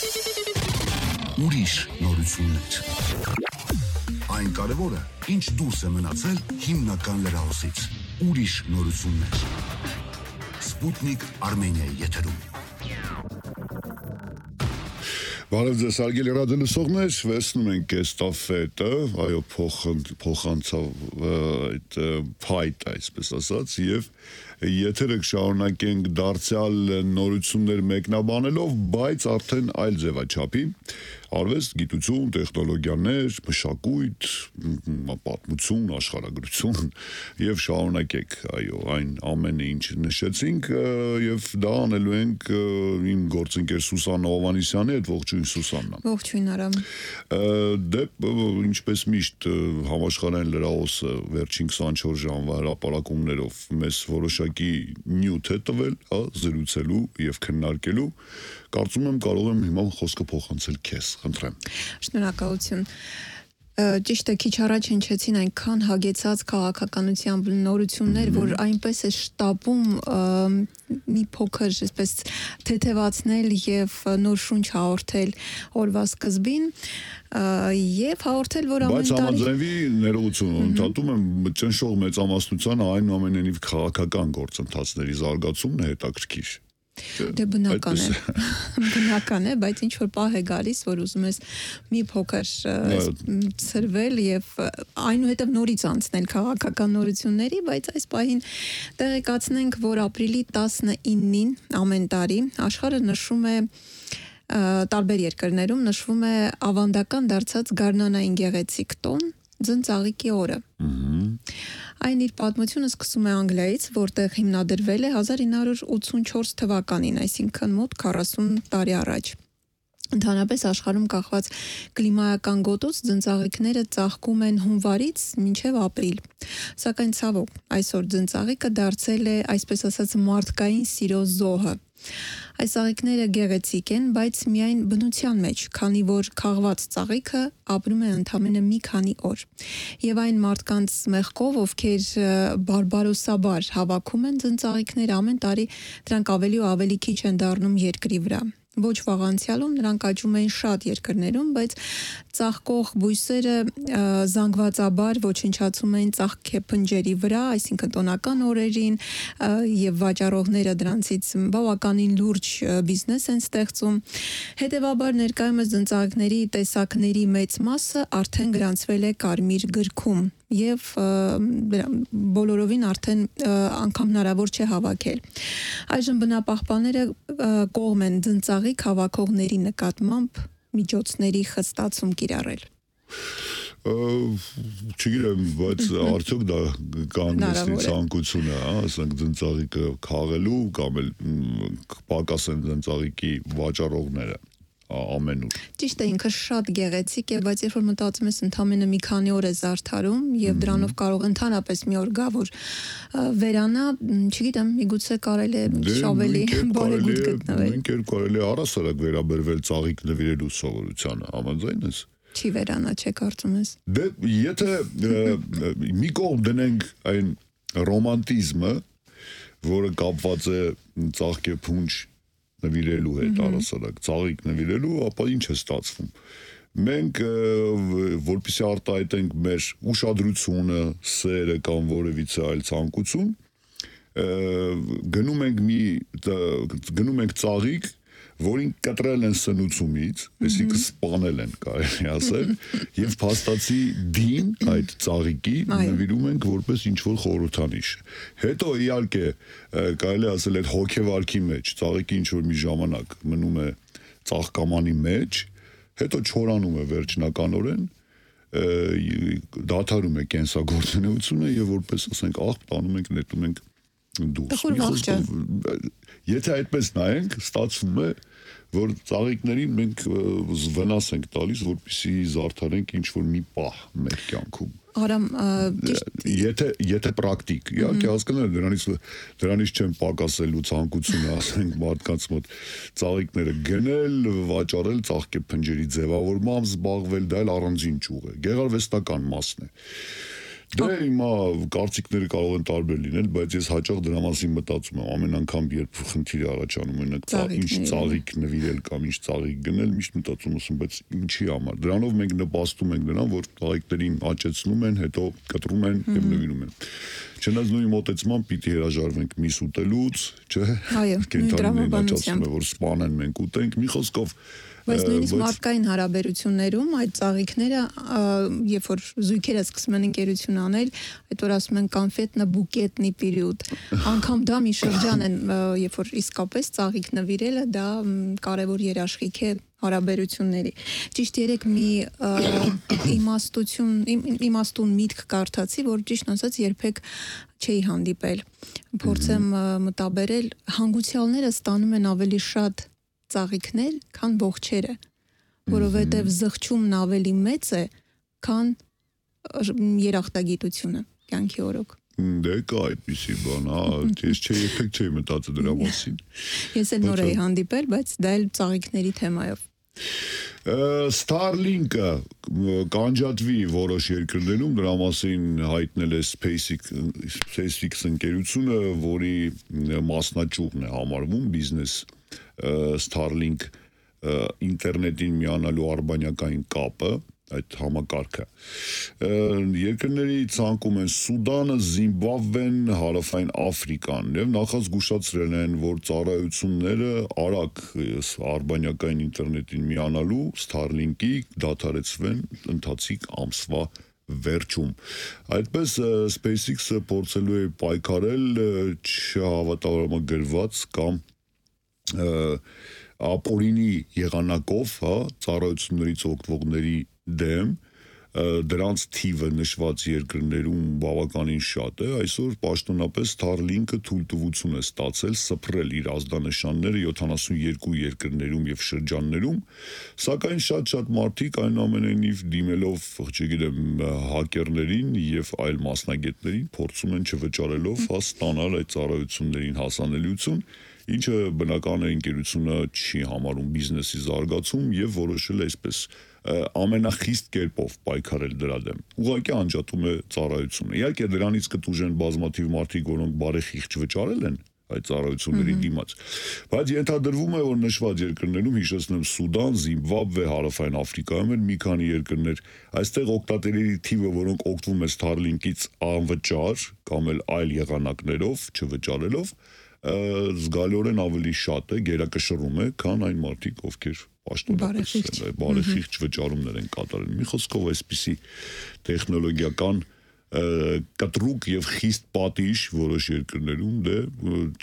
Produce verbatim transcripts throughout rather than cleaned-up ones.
Ուրիշ նորություններ։ Այն կարևորը, ինչ դուրս է մնացել հիմնական լրահոսից։ Ուրիշ նորություններ։ Սպուտնիկ Արմենիայի եթերում։ Բարև ձեզ, հարգելի ռադիոլսողներ, վերցնում ենք այս տաֆետը, այո, փոխանցավ այդ փայտ, այսպես ասած, եւ եթերը կշարունակենք դարձյալ նորություններ մեկնաբանելով, բայց արդեն այլ ձևաչափի, արվեստ, գիտություն, տեխնոլոգիաներ, մշակույթ, պատմություն, աշխարհագրություն եւ շարունակեք, այո, այն ամենը ինչ նշեցինք եւ դա անելու ենք իմ գործընկեր Սուսաննա Հովհաննիսյանի հետ, ողջույն Սուսաննա։ Ողջույն Արամ։ Դե ինչպես միշտ համաշխարհային լրահոսը վերջին քսանչորս ժամվա հրապարակումներով մեզ որոշակի նյութ է տվել, հա, զրուցելու եւ քննարկելու։ Կարծում եմ կարող եմ հիմա խոսքը փոխանցել քեզ, խնդրեմ։ Շնորհակալություն։ Ճիշտ է, քիչ առաջ հնչեցին այնքան հագեցած քաղաքականության նորություններ, որ այնպես է շտապում մի փոքր այսպես թեթևացնել եւ նոր շունչ հաղորդել օրվա սկզբին եւ հաղորդել, որ ամեն տարի Բայց համաձայնվի ներողություն, ընդհատում եմ ճնշող մեծամասնության այնուամենայնիվ քաղաքական գործընթացների զարգացումն է հետաքրքիր։ Դե բնական է, բնական է, բայց ինչ որ պահ է գալիս, որ ուզում ես մի փոքր ցրվել եւ այնուհետեւ նորից անցնել քաղաքական նորությունների, բայց այս պահին տեղեկացնենք, որ ապրիլի տասնինին ամեն տարի աշխարհը նշում է տարբեր երկրներում նշվում է ավանդական դարձած գարնանային գեղեցիկ տոն Ձնծաղիկի օրը։ Այն իր պատմությունը սկսում է Անգլիայից, որտեղ հիմնադրվել է հազար ինը հարյուր ութսունչորս թվականին, այսինքն մոտ քառասուն տարի առաջ։ Ընդհանրապես աշխարհում կախված կլիմայական գոտուց ձնծաղիկները ծաղկում են հունվարից մինչև ապրիլ։ Սակայն ցավոք, այսօր ձնծաղիկը դարձել է, այսպես ասած, մարդկային սիրո զոհը։ Այս ծաղիկները գեղեցիկ են, բայց միայն բնության մեջ, քանի որ քաղված ծաղիկը ապրում է ընդամենը մի քանի օր։ Եվ այն մարդկանց մեղքով, ովքեր բարբարոսաբար հավաքում են ձնծաղիկները, ամեն տարի դրանք ավելի ու ավելի քիչ են դառնում երկրի վրա։ Ոչ վաղ անցյալում նրանք աճում էին շատ երկրներում, բայց ծաղկող բույսերը զանգվածաբար ոչնչացում էին ծաղկեփնջերի վրա, այսինքն տոնական օրերին, եւ վաճառողները դրանցից բավականին լուրջ բիզնես են ստեղծում։ Հետևաբար ներկայումս ձնծաղիկների տեսակների մեծ մասը արդեն գրանցվել է Կարմիր գրքում եւ բոլորովին արդեն անգամ հնարավոր չէ հավաքել։ Այժմ բնապահպանները կողմ են ձնծաղիկ հավաքողների նկատմամբ միջոցների խստացում կիրառել։ Չգիտեմ, բայց արդյոք դա կանգնեցնի ցանկությունը, հա, ասենք ձնծաղիկը քաղելու կամ էլ պակաս են ձնծաղիկի վաճառողները ամենուր։ Ճիշտ է, ինքը շատ գեղեցիկ է, բայց երբ որ մտածում ես ընդամենը մի քանի օր է զարդարում եւ դրանով կարող ընդհանրապես մի օր գա, որ վերանա, չգիտեմ, միգուցե կարելի է ավելի բարեգութ գտնվել։ Ինքեր կարելի է առասարակ վերաբերվել ծաղիկ նվիրելու սովորությանը, համաձայն ես։ Չի վերանա, չէ՞ կարծում ես։ Դե եթե մի կողմ դնենք այն ռոմանտիզմը, որը կապված է ծաղկեփունջ նվիրելու հետ առասարակ, ծաղիկ նվիրելու, ապա ինչ է ստացվում։ Մենք որպեսզի արտահայտենք մեր ուշադրությունը, սերը կամ որևիցե այլ ցանկություն, գնում ենք մի գնում ենք ծաղիկ, որին կտրել են սնուցումից, այսինքն սպանել են, կարելի ասել, եւ փաստացի դին այդ ծաղիկի նվիրում ենք որպես ինչ-որ խորհրդանիշ։ Հետո իհարկե կարելի ասել այդ հոգեվարքի մեջ ծաղիկի ինչ-որ մի ժամանակ մնում է ծաղկամանի մեջ, հետո չորանում է վերջնականորեն, դադարում է կենսագործունեությունը եւ որպես ասենք աղբ տանում ենք, նետում ենք դուրս։ Եթե այդպես նայենք, ստացվում է, որ ծաղիկներին մենք վնաս ենք տալիս, որպեսզի զարդարենք ինչ-որ մի պահ մեր կյանքում։ Արամ, եթե եթե պրակտիկ, իհարկե հասկանալ դրանից դրանից չեմ պակասելու ցանկությունը, ասենք մարդկանց մոտ ծաղիկները գնել, վաճառել, ծաղկեփնջերի ձևավորմամբ զբաղվել, դա էլ առանձին ճյուղ է, գեղարվեստական մասն է։ Դե հիմա կարծիքները կարող են տարբեր լինել, բայց ես հաճախ դրա մասին մտածում եմ, ամեն անգամ երբ խնդիր առաջանում են, ինչ ծաղիկ նվիրել կամ ինչ ծաղիկ գնել, միշտ մտածում եմ, բայց ինչի համար։ Դրանով մենք նպաստում ենք նրան, որ ծաղիկներին աճեցնում են, հետո կտրում են եւ նվիրում են։ Չնայած նույն մոտեցման պիտի հրաժարվենք միս ուտելուց, չէ՞։ Կենտրոնին աճացնում է, որ սպանեն մենք ուտենք, մի խոսքով Բայց նույնիսկ մարդկային հարաբերություններում այդ ծաղիկները, երբ որ զույգերը սկսում են ընկերություն անել, այդ որ ասում են կոնֆետնա բուկետնի պերիոդ, անգամ դա մի շրջան են, երբ որ իսկապես ծաղիկ նվիրելը, դա կարևոր երաշխիք է հարաբերությունների։ Ճիշտ երեք մի իմաստություն, իմաստուն միտք կարդացի, որ ճիշտ ասած երբեք չէի հանդիպել։ Փորձեմ մտաբերել, հանգուցյալները ստանում են ավելի շատ ծաղիկներ, քան ողջերը, որովհետև զղջումն ավելի մեծ է, քան երախտագիտությունը, կյանքի օրոք։ Դե կա այդպիսի բան, հա, ես չէի երբեք չէի մտածել դրա մասին։ Ես էլ նոր էի հանդիպել, բայց դա էլ ծաղիկների թեմայով։ Starlink-ը կանջատվի որոշ երկրներում, դրա մասին հայտնել է SpaceX ընկերությունը, որի մասնաճյուղն է համարվում բիզնես Starlink ինտերնետին միանալու արբանյակային կապը, այդ համակարգը։ Երկրների ցանկում են Սուդանը, Զիմբաբվեն, Հարավային Աֆրիկան եւ նախազգուշացրել են, որ ծառայությունները արագ արբանյակային ինտերնետին միանալու Starlink-ի դադարեցվեն ընթացիկ ամսվա վերջում։ Այդպես SpaceX-ը փորձելու է պայքարել չհավատալարամագրված կամ ապօրինի եղանակով, հա, ծառայություններից օգտվողների դեմ, դրանց թիվը նշված երկրներում բավականին շատ է, այսօր պաշտոնապես Starlink-ը թույլտվություն է ստացել սփռել իր ազդանշանները յոթանասունյոթ երկրներում եւ շրջաններում, սակայն շատ-շատ մարդիկ այնուամենայնիվ դիմելով, չգիտեմ, հակերներին եւ այլ մասնագետներին փորձում են չվճարելով հա ստանալ այդ ծառայություններին հասանելիություն, ինչը բնական է ընկերությունը չի համարում բիզնեսի զարգացում եւ որոշել է այսպես ամենախիստ կերպով պայքարել դրա դեմ։ Ուղղակի անջատում է ծառայությունը։ Իհարկե դրանից կտուժեն բազմաթիվ մարդիկ, որոնք բարեխիղճ վճարել են այդ ծառայությունների դիմաց։ Բայց ենթադրվում է, որ նշված երկրներում, հիշեցնեմ, Սուդան, Զիմբաբվե, Հարավային Աֆրիկայում են մի քանի երկրներ, այստեղ օգտատերերի թիվը, որոնք օգտվում են Starlink-ից անվճար կամ էլ այլ եղանակներով, չվճարելով, զգալիորեն ավելի շատ է, գերակշռում է, քան այն մարդիկ, ովքեր պաշտոնապես բարեխիղճ վճարումներ են կատարել։ Մի խոսքով այսպիսի տեխնոլոգիական կտրուկ եւ խիստ պատիժ որոշ երկրներում, դե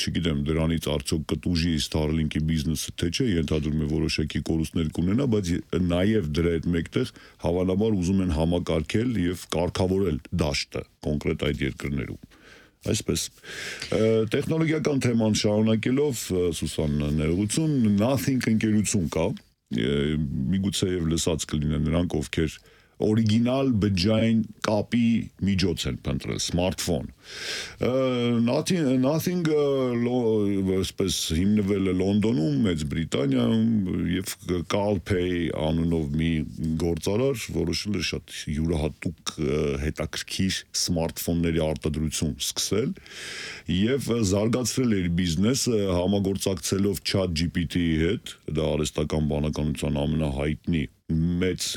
չգիտեմ դրանից արդյոք կտուժի Starlink-ի բիզնեսը թե չէ, ենթադրում է որոշակի կորուստներ կունենա, բայց նաեւ դրա հետ մեկտեղ հավանաբար ուզում են համակարգել եւ կարգավորել դաշտը կոնկրետ այդ երկրներում։ Այսպես տեխնոլոգիական թեման շարունակելով Սուսան ներողություն, Nothing ընկերություն կա, միգուցե եւ լսած կլինեն նրանք, ովքեր օրիգինալ բջջային կապի միջոց են փնտրել, սմարթֆոն։ Nothing, nothing այսպես հիմնվել է Լոնդոնում, Մեծ Բրիտանիայում եւ CalPay անունով մի գործարար որոշել է շատ յուրահատուկ հետաքրքիր սմարթֆոնների արտադրություն սկսել եւ զարգացրել իր բիզնեսը համագործակցելով ChatGPT-ի հետ, դա արհեստական բանականության ամենահայտնի մեծ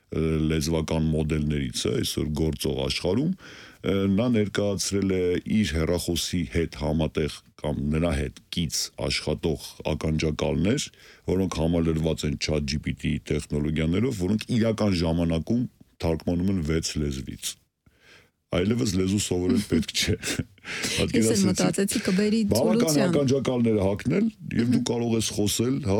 լեզվական մոդելներից է այսօր գործող աշխարհում, նա ներկայացրել է իր հեռախոսի հետ համատեղ կամ նրա հետ կից աշխատող ականջակալներ, որոնք համալրված են ChatGPT տեխնոլոգիաներով, որոնք իրական ժամանակում թարգմանում են վեց լեզվից։ Այլևս լեզու սովորել պետք չէ։ Ես էլ մտածեցի կբերի բավական սոլյուցիան։ ականջակալները հագնել եւ դու կարող ես խոսել, հա,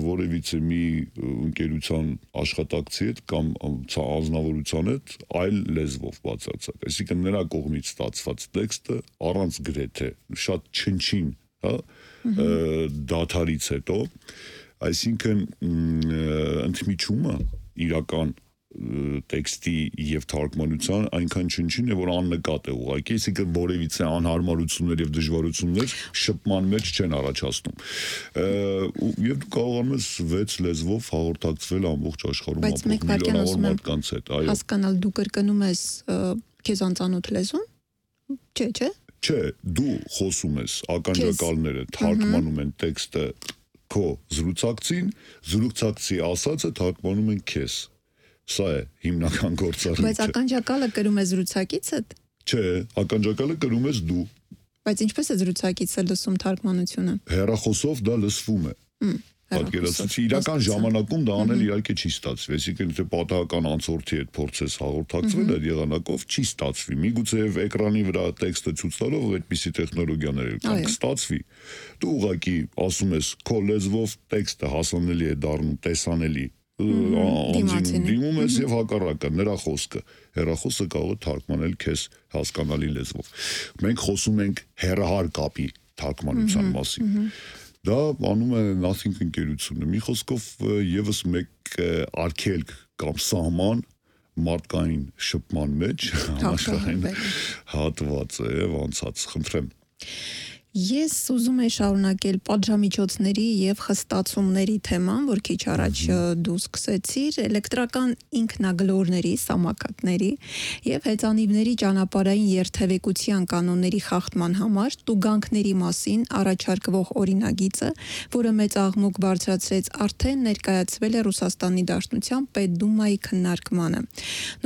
որևիցե մի ընկերության աշխատակցի հետ կամ անձնավորության հետ այլ լեզվով բացարձակ։ Այսինքն նրա կողմից ստացված տեքստը առանց գրեթե շատ չնչին, հա, դաթարից հետո, այսինքն ընդմիջումը իրական տեքստի եւ թարգմանության այնքան չնչին է, որ աննկատ է ուղղակի, այսինքն որևիցե անհարմարություններ եւ դժվարություններ շփման մեջ չեն առաջացնում։ Եվ դու կարողանում ես վեց լեզվով հաղորդակցվել ամբողջ աշխարհում ապրող միլիոնավոր մարդկանց հետ, այո։ Հասկանալ, դու կրկնում ես քեզ անծանոթ լեզուն։ Չէ, չէ։ Չէ, դու խոսում ես, ականջակալները թարգմանում են տեքստը քո զրուցակցին, զրուցակցի ասածը թարգմանում են քեզ։ Սա է հիմնական գործառույթը։ Բայց ականջակալը կրում է զրուցակիցդ։ Չէ, ականջակալը կրում ես դու։ Բայց ինչպես է զրուցակիցը լսում թարգմանությունը։ Հեռախոսով դա լսվում է։ Պատկերացրու, իրական ժամանակում դա անել իհարկե չի ստացվի, այսինքն եթե պատահական անցորդի հետ փորձես հաղորդակցվել այդ եղանակով չի ստացվի։ Միգուցե եւ էկրանի վրա տեքստը ցույց տալով այդպիսի տեխնոլոգիաներ կան, կստացվի։ Դու ուղղակի ասում ես քո լեզվով տեքստը հասանելի է դառնում, տեսանելի։ Դիմում ես եւ հակառակը, նրա խոսքը, հեռախոսը կարող է թարգմանել քեզ հասկանալի լեզվով։ Մենք խոսում ենք հեռահար կապի թարգմանության մասին։ Դա անում է Nothing ընկերությունը։ Մի խոսքով եւս մեկ արգելք կամ սահման մարդկային շփման մեջ համաշխարհային հատված է եւ անցած, խնդրեմ։ Ես ուզում եմ շարունակել պատժամիջոցների եւ խստացումների թեման, որ քիչ առաջ դու սկսեցիր, էլեկտրական ինքնագլորների, սամակատների եւ հեծանիվների ճանապարհային երթևեկության կանոնների խախտման համար տուգանքների մասին առաջարկվող օրինագիծը, որը մեծ աղմուկ բարձրացրեց, արդեն ներկայացվել է Ռուսաստանի Դաշնության Պետդումայի քննարկմանը։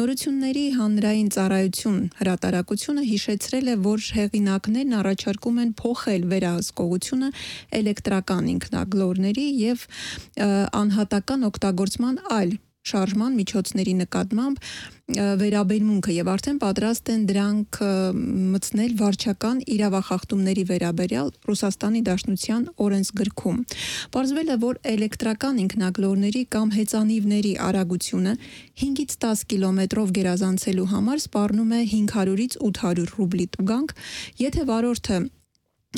Նորությունների հանրային ծառայություն հրատարակությունը հիշեցրել է, որ հեղինակներն առաջարկում են փոխ վերահսկողությունը էլեկտրական ինքնագլորների եւ անհատական օգտագործման այլ շարժման միջոցների նկատմամբ վերաբերմունքը եւ արդեն պատրաստ են դրանք մտցնել վարչական իրավախախտումների վերաբերյալ Ռուսաստանի Դաշնության օրենսգրքում։ Պարզվել է, որ էլեկտրական ինքնագլորների կամ հեծանիվների արագությունը հինգից տաս կիլոմետրով գերազանցելու համար սպառնում է հինգ հարյուրից ութ հարյուր ռուբլի տուգանք, եթե վարորդը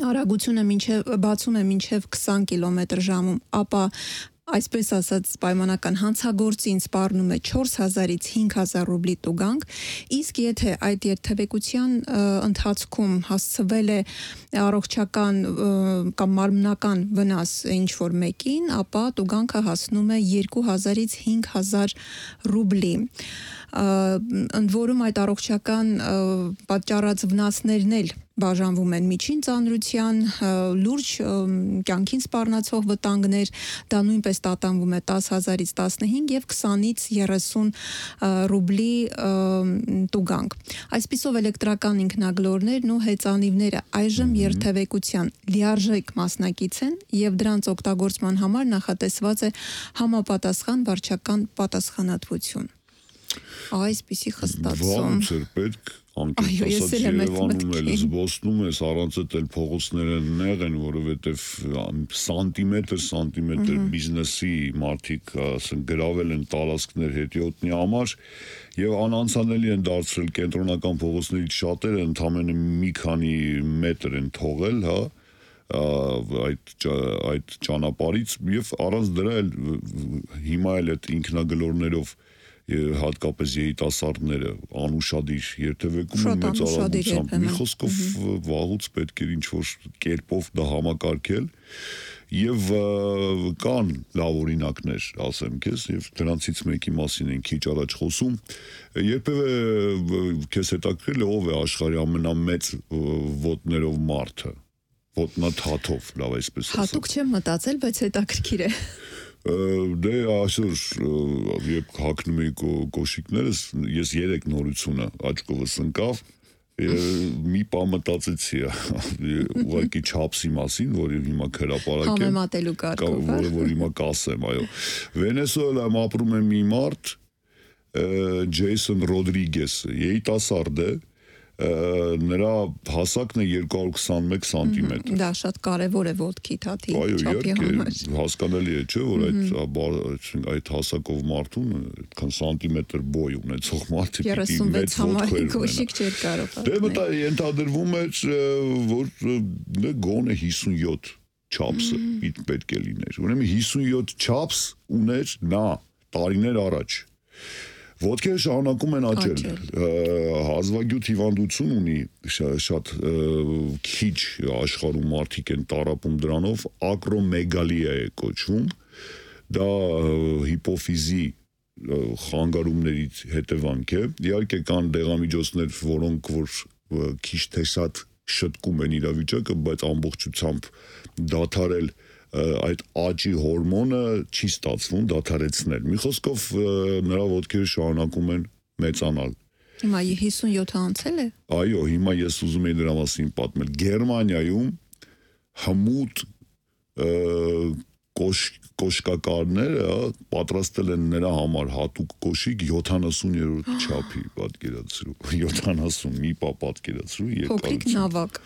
արագությունը մինչև բացում է մինչև քսան կիլոմետր ժամում, ապա այսպես ասած պայմանական հանցագործին սպառնում է չորս հազարից հինգ հազար ռուբլի տուգանք, իսկ եթե այդ երթևեկության ընթացքում հասցվել է առողջական կամ մարմնական վնաս ինչ որ մեկին, ապա տուգանքը հասնում է երկու հազարից հինգ հազար ռուբլի։ Ընդ որում այդ առողջական պատճառած վնասներն էլ բաժանվում են միջին ծանրության, լուրջ կյանքին սպառնացող վտանգներ, դա նույնպես տատանվում է տաս հազարից տասնհինգ եւ քսանից երեսուն ռուբլի տուգանք։ Այսպիսով էլեկտրական ինքնագլորներն ու հեծանիվները այժմ երթևեկության լիարժեք մասնակից են եւ դրանց օգտագործման համար նախատեսված է համապատասխան վարչական պատասխանատվություն։ Այսպիսի խստացում։ Ոնց էր պետք անկեղծ Երևանում էլ զբոսնում ես, առանց էլ փողոցները նեղ են, որովհետև սանտիմետր սանտիմետր բիզնեսի մարդիկ ասեն գրավել են տարածքներ հետիոտնի համար եւ անանցանելի են դարձրել կենտրոնական փողոցներից շատերը ընդամենը մի քանի մետր են թողել, հա այդ այդ ճանապարհից եւ առանց դրա էլ հիմա էլ այդ ինքնագլորներով հատկապես երիտասարդները անուշադիր երթևեկում են մեծ արագությամբ։ Մի խոսքով վաղուց պետք էր ինչ-որ կերպով դա համակարգել եւ կան լավ օրինակներ, ասեմ քեզ, եւ դրանցից մեկի մասին են քիչ առաջ խոսում։ Երբևէ քեզ հետաքրքրել է ով է աշխարհի ամենամեծ ոտներով մարդը, ոտնաթաթով, լավ այսպես ասեմ։ Հատուկ չեմ մտածել, բայց հետաքրքիր է։ Դե այսօր երբ հագնում էի կոշիկներս, ես երեք նորությունը աչքովս ընկավ, մի բան մտածեցի, ուղղակի չափսի մասին, որի հիմա հրապարակ եմ, համեմատելու կարգով, որը որ հիմա կասեմ, այո։ Վենեսուելայում ապրում է մի մարդ, Ջեյսոն Ռոդրիգես, երիտասարդ է, նրա հասակն է երկու հարյուր քսանմեկ սանտիմետր։ Դա շատ կարևոր է ոտքի թաթի չափի համար։ Այո, հասկանալի է, չէ, որ այդ այդ հասակով մարդուն այդքան սանտիմետր բոյ ունեցող մարդը երեսունվեց համարի կոշիկ չէր կարող։ Դե մտա ենթադրվում է, որ գոնե հիսունյոթ չափսը պետք է լիներ։ Ուրեմն հիսունյոթ չափս ուներ նա տարիներ առաջ։ Ոտքերը շարունակում են աճել, հազվագյուտ հիվանդություն ունի, շատ քիչ աշխարհում մարդիկ են տառապում դրանով, ակրոմեգալիա է կոչվում, դա հիպոֆիզի խանգարումներից հետևանք է, իհարկե կան դեղամիջոցներ, որոնք որ քիչ թե շատ շտկում են իրավիճակը, բայց ամբողջությամբ դադարել այդ աճի հորմոնը չի ստացվում դադարեցնել։ Մի խոսքով նրա ոտքերը շարունակում են մեծանալ։ Հիմա հիսունյոթը անցել է։ Այո, հիմա ես ուզում եի դրա մասին պատմել։ Գերմանիայում հմուտ կոշկակարները պատրաստել են նրա համար հատուկ կոշիկ յոթանասուներորդ չափի, պատկերացրու, յոթանասուն մի պա պատկերացրու փոքրիկ նավակ։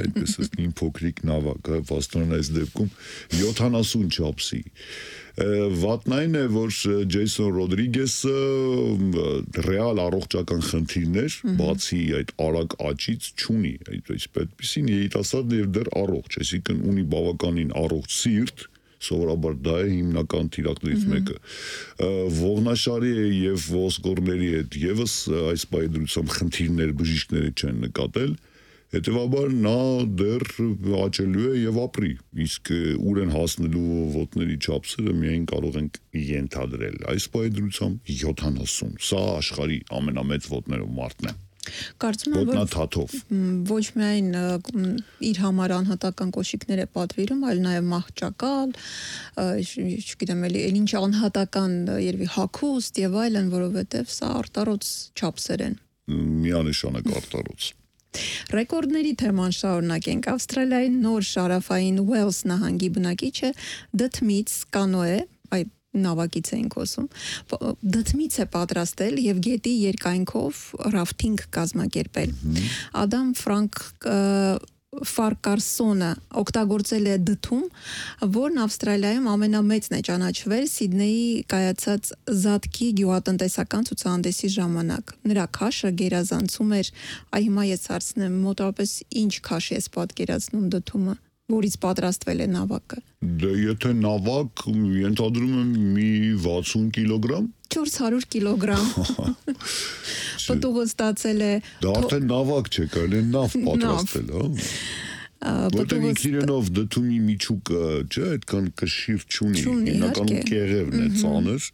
Այդպես է իմ փոքրիկ նավակը, վաստորեն այս դեպքում յոթանասուն չափսի։ Վատն այն է, որ Ջեյսոն Ռոդրիգեսը ռեալ առողջական խնդիրներ, բացի այդ արագ աճից չունի, այդպեսին երիտասարդ եւ դեռ առողջ, այսինքն ունի բավականին առողջ սիրտ, սովորաբար դա է հիմնական թիրախներից մեկը։ Ողնաշարի եւ ոսկորների հետ եւս այս բայդրությամբ խնդիրներ բժիշկները չեն նկատել, հետեւաբար նա դեռ աճելու է եւ ապրի, իսկ ուր են հասնելու ոտների չափսերը միայն կարող ենք ենթադրել։ Այս բայդրությամբ յոթանասուն, սա աշխարհի ամենամեծ ոտներով մարդն է։ Կարծում եմ, որ ոչ միայն իր համար անհատական կոշիկներ է պատվիրում, այլ նաև մահճակալ, չգիտեմ, էլի ինչ անհատական երևի հագուստ եւ այլն, որովհետեւ սա արտառոց չափսեր են։ Միանշանակ արտառոց։ Ռեկորդների թեման շարունակենք։ Ավստրալիայի նոր շարաֆային Ուելս նահանգի բնակիչը դթմից կանոե, այ նավակից էին խոսում, դթմից է պատրաստել եւ գետի երկայնքով ռաֆտինգ կազմակերպել։ Ադամ Ֆրանկ Ֆարկարսոնը օգտագործել է դթում, որն Ավստրալիայում ամենամեծն է ճանաչվել Սիդնեյի կայացած Զատկի գյուղատնտեսական ցուցահանդեսի ժամանակ։ Նրա քաշը գերազանցում էր, այ հիմա ես հարցնեմ, մոտավորապես ինչ քաշ ես պատկերացնում դթումը, որից պատրաստվել է նավակը։ Դե եթե նավակ, ենթադրում եմ մի վաթսուն կիլոգրամ։ չորս հարյուր կիլոգրամ։ Պտուղը ստացել է։ Դա արդեն նավակ չէ, կարելի է նավ պատրաստել, հա։ Որտեղ ինքնիրենով դթումի միջուկը, չէ, այդքան կշիռ չունի, հիմնականում կեղևն է ծանր,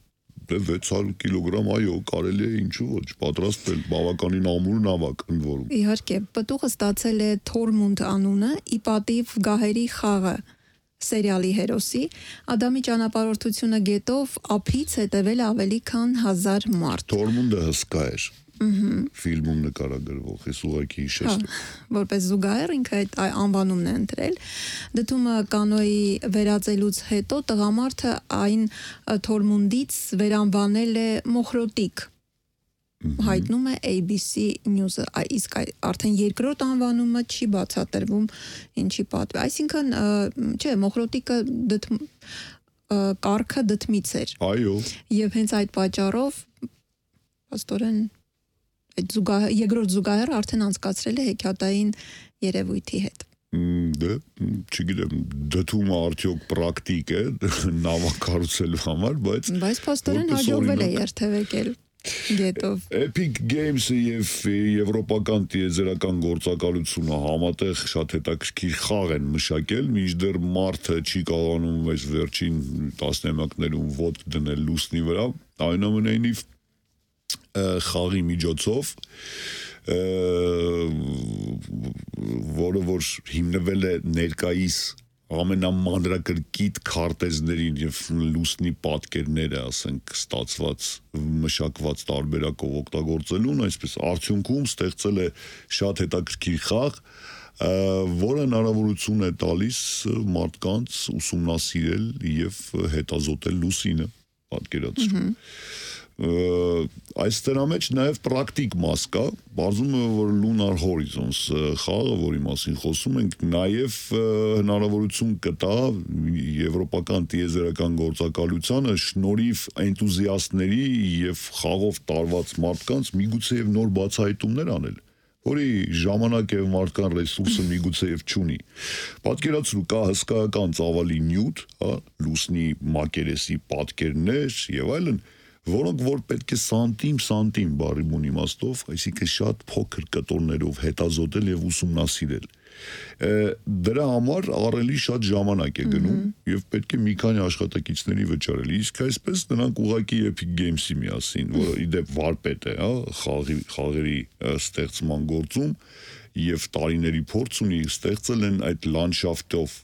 դե վեց հարյուր կիլոգրամ, այո, կարելի է ինչու ոչ պատրաստել, բավականին ամուր նավակ ընդ որում։ Իհարկե, պտուղը ստացել է Թորմունդ անունը, ի պատիվ Գահերի խաղը սերիալի հերոսի, Ադամի ճանապարհորդությունը գետով ափից հետևել ավելի քան հազար մարդ։ Թորմունդը հսկա էր։ Ֆիլմում նկարագրվող, ես ուղղակի հիշեցի։ Որպես զուգահեռ ինքը այդ անվանումն է ընտրել։ Դթումը կանոյի վերածելուց հետո տղամարդը այն Թորմունդից վերանվանել է Մոխրոտիկ։ Հայտնում է A B C News-ը, իսկ արդեն երկրորդ անվանումը չի բացատրվում ինչի պատվի։ Այսինքն, չէ, Մոխրոտիկը կառքը դթմից էր։ Այո։ Եվ հենց այդ պատճառով աստորեն այդ զուգահեռ երկրորդ զուգահեռը արդեն անցկացրել է հեքիաթային երևույթի հետ։ Դե, չգիտեմ, դթումը արդյոք պրակտիկ է նավակ կառուցելու համար, բայց բայց փաստորեն հաջողվել է երթևեկել գետով։ Epic Games-ը եւ եվրոպական տիեզերական գործակալությունը համատեղ շատ հետաքրքիր խաղ են մշակել, մինչդեռ մարդը չի կարողանում այս վերջին տասնամյակներում ոտք դնել լուսնի վրա, այնուամենայնիվ խաղի միջոցով, որը որ հիմնվել է ներկայիս ամենամանրակրկիտ քարտեզներին եւ լուսնի պատկերները, ասենք, ստացված մշակված տարբերակով օգտագործելուն, այսպես արդյունքում ստեղծել է շատ հետաքրքիր խաղ, որը հնարավորություն է տալիս մարդկանց ուսումնասիրել եւ հետազոտել լուսինը, պատկերացրու։ Այս դրա մեջ նաև պրակտիկ մաս կա, բարձում է, որ Lunar Horizons խաղը, որի մասին խոսում ենք, նաև հնարավորություն կտա եվրոպական տիեզերական գործակալությանը շնորհիվ էնտուզիաստների եւ խաղով տարված մարդկանց միգուցե եւ նոր բացահայտումներ անել, որի ժամանակ եւ մարդկան ռեսուրսը միգուցե եւ չունի։ Պատկերացրու, կա հսկայական ծավալի նյութ, հա, լուսնի մակերեսի պատկերներ եւ այլն, որոնք որ պետք է սանտիմ սանտիմ բառի իմաստով, այսինքն շատ փոքր կտորներով հետազոտել եւ ուսումնասիրել։ Դրա համար առելի շատ ժամանակ է գնում եւ պետք է մի քանի աշխատակիցների վճարել։ Իսկ այսպես նրանք ուղակի Epic Games-ի միասին, որը իդեպ վարպետ է, հա, խաղի խաղերի ստեղծման գործում եւ տարիների փորձ ունի, ստեղծել են այդ լանդշաֆտով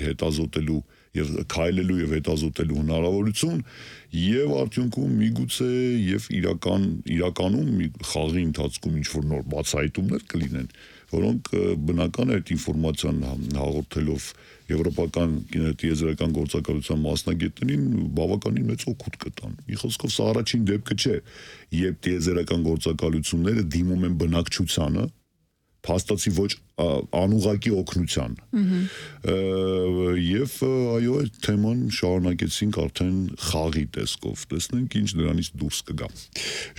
հետազոտելու եւ քայլելու եւ հետազոտելու հնարավորություն եւ արդյունքում միգուցե եւ իրական իրականում մի խաղի ընթացքում ինչ որ նոր բացահայտումներ կլինեն, որոնք բնական է այդ ինֆորմացիան հաղորդելով եվրոպական կինոտիեզերական գործակալության մասնագետներին բավականին մեծ օգուտ կտան։ Մի խոսքով սա առաջին դեպքը չէ, երբ տիեզերական գործակալությունները դիմում են բնակչությանը փաստացի ոչ անուղակի օգնության։ Եվ այո, այդ թեման շարունակեցինք արդեն խաղի տեսքով, տեսնենք ինչ դրանից դուրս կգա։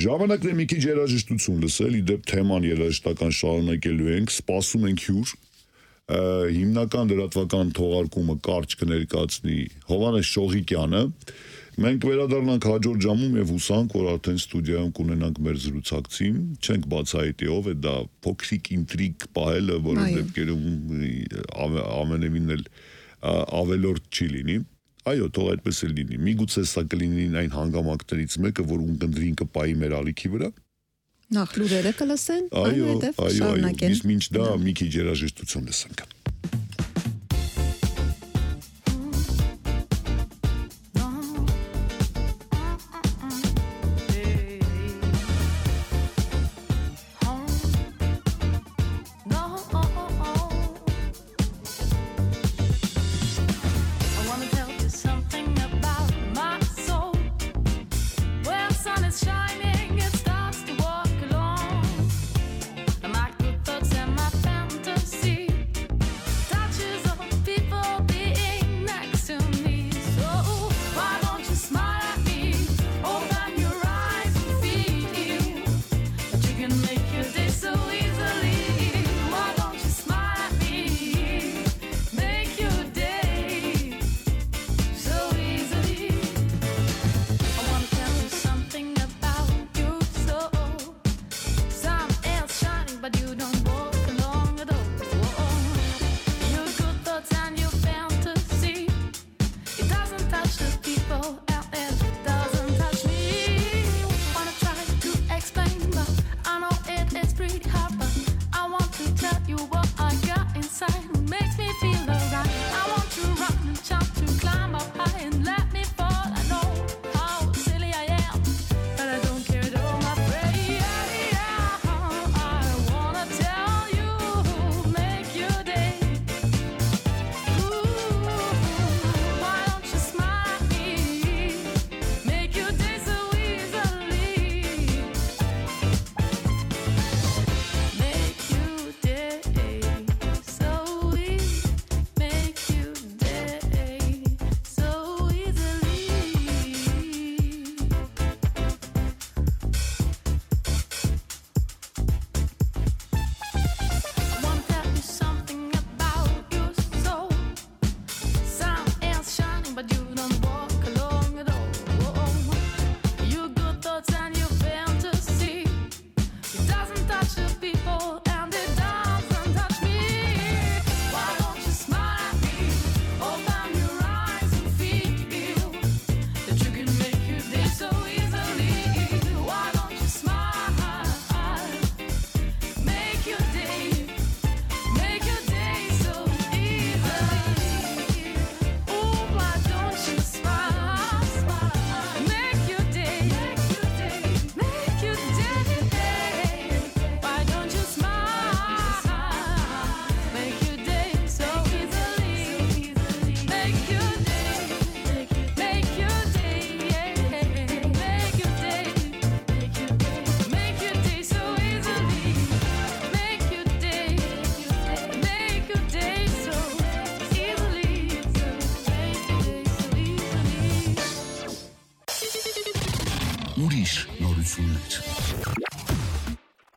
Ժամանակն է մի քիչ երաժշտություն լսել, իդեպ թեման երաժշտական շարունակելու ենք, սպասում ենք հյուր, հիմնական լրատվական թողարկումը կարճ կներկայացնի Հովհաննես Շողիկյանը։ Մենք վերադառնանք հաջորդ ժամում եւ հուսանք, որ արդեն ստուդիայում կունենանք մեր զրուցակցին, չենք բացահայտի ով է դա փոքրիկ ինտրիգ պահելը, որը դեպքերում ամենևին էլ ավելորդ չի լինի։ Այո, թող այդպես էլ լինի։ Միգուցե սա կլինի այն հանգամանքներից մեկը, որ ունկնդրին կպայի մեր ալիքի վրա։ Նախ լուրերը կլսեն, այնուհետև շարունակենք։ Իսկ մինչ դա մի քիչ երաժշտություն լսենք։ Ուրիշ նորություններ։